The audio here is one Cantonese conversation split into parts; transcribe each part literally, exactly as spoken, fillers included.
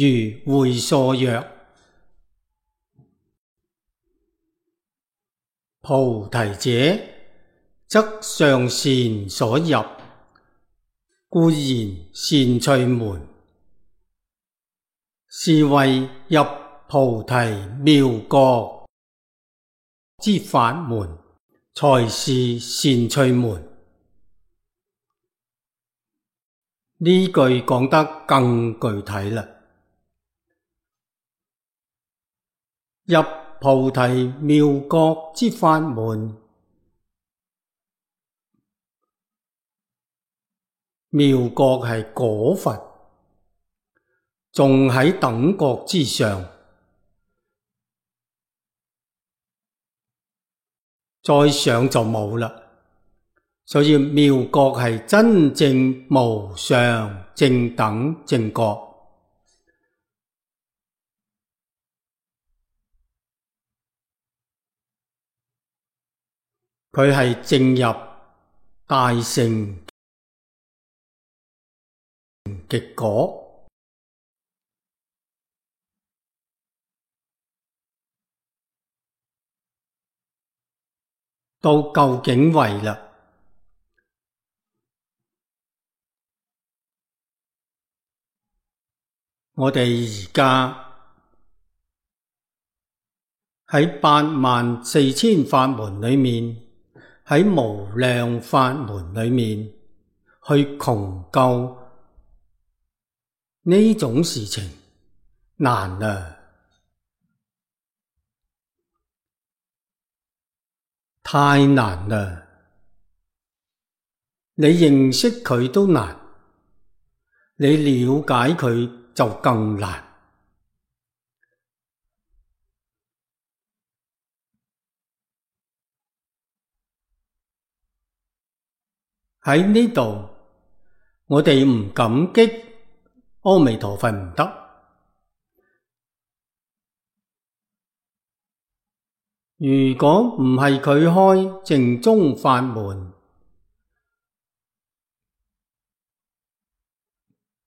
如會所曰：菩提者，則上善所入，故言善趣門。是謂入菩提妙覺之法門，才是善趣門。呢句講得更具體啦。入菩提妙覺之法門，妙覺係果佛，仲喺等覺之上，再上就冇啦。所以妙覺係真正無上正等正覺。佢係正入大乘極果，到究竟位啦。我哋而家喺八萬四千法門裏面，喺無量法門裏面去窮究呢種事情難啊，太難啦！你認識佢都難，你了解佢就更難。喺呢度，我哋唔感激阿彌陀佛唔得。如果唔係佢開淨宗法門，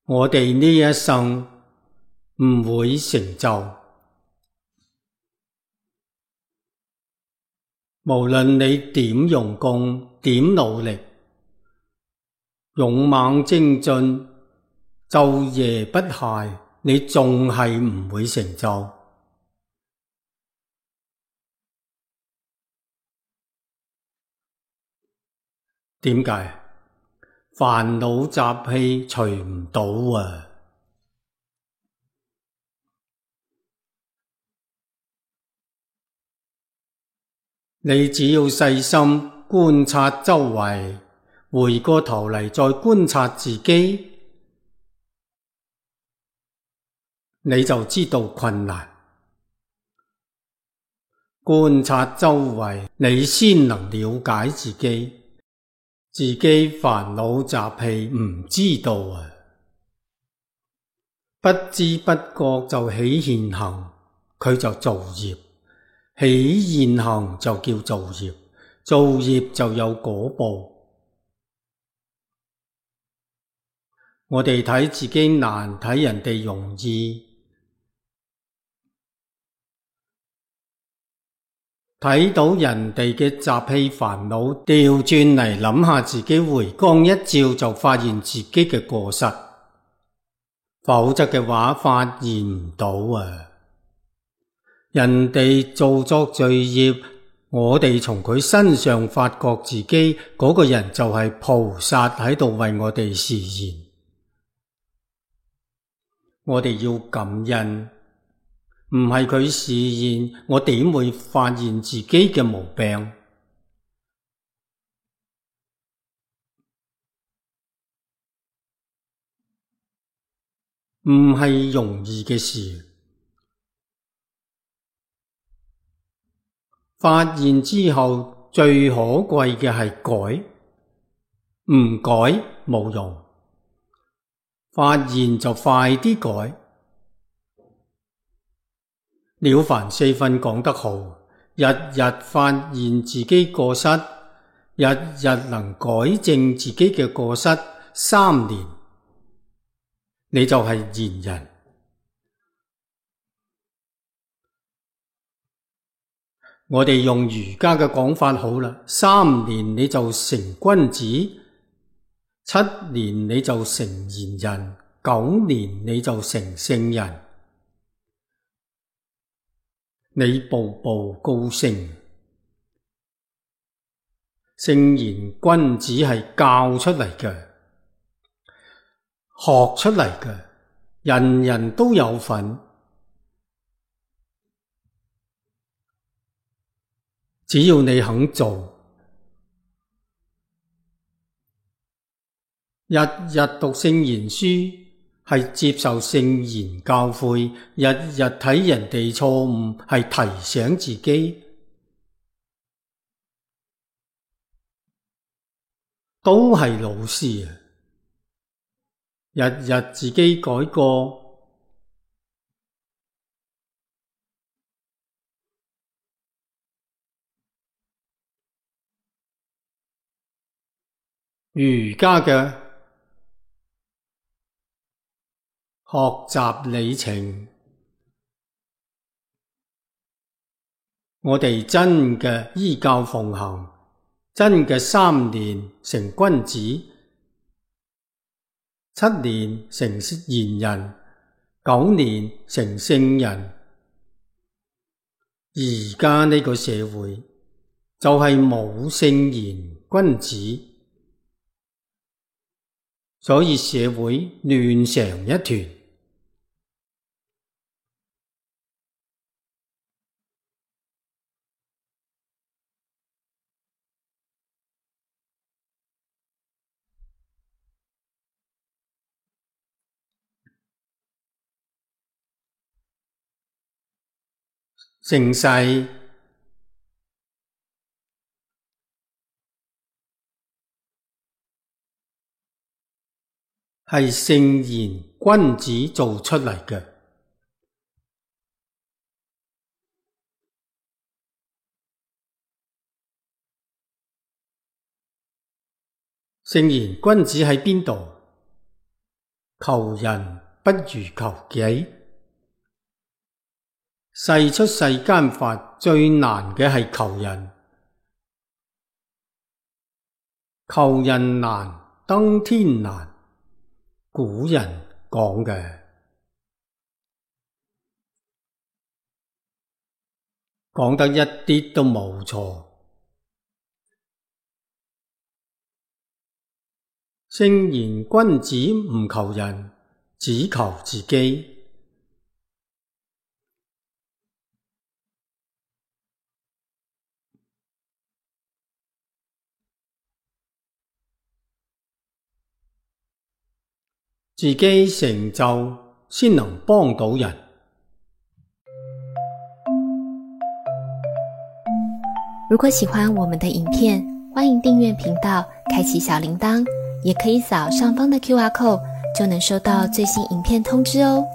我哋呢一生唔會成就。無論你點用功，點努力，勇猛精進，晝夜不懈，你仲係唔會成就。點解？煩惱習氣除唔到啊！你只要細心觀察周圍，回過頭嚟再觀察自己，你就知道困難。觀察周圍，你先能了解自己。自己煩惱習氣唔知道啊，不知不覺就起現行，佢就造業。起現行就叫造業，造業就有果報。我哋睇自己難，睇人哋容易。睇到人哋嘅習氣煩惱，調轉嚟諗下自己，回光一照就發現自己嘅過失，否則嘅話發現唔到啊！人哋做作罪業，我哋從佢身上發覺自己嗰個人就係菩薩喺度為我哋示現，我哋要感恩。唔係佢示現，我點會發現自己嘅毛病？唔係容易嘅事。發現之後，最可貴嘅係改，唔改冇用。發現就快啲改。了凡四訓講得好，日日發現自己過失，日日能改正自己嘅過失，三年你就係賢人。我哋用儒家嘅講法好啦，三年你就成君子，七年你就成賢人，九年你就成聖人。你步步高升，聖賢君子係教出嚟嘅，學出嚟嘅，人人都有份。只要你肯做，日日讀聖賢書，係接受聖賢教誨，日日睇人哋錯誤，係提醒自己，都係老師啊！日日自己改過，儒家嘅學習里程，我哋真嘅依教奉行，真嘅三年成君子，七年成賢人，九年成聖人。而家呢個社會就係冇聖賢君子，所以社會亂成一團。盛世係聖賢君子做出嚟嘅，聖賢君子喺邊度？求人不如求己。世出世間法最難嘅係求人，求人難，登天難，古人講嘅，講得一啲都冇錯。聖賢君子唔求人，只求自己。自己成就先能幫到人。如果喜歡我們的影片，歡迎訂閱頻道，開啟小鈴鐺，也可以掃上方的 Q R code，就能收到最新影片通知哦。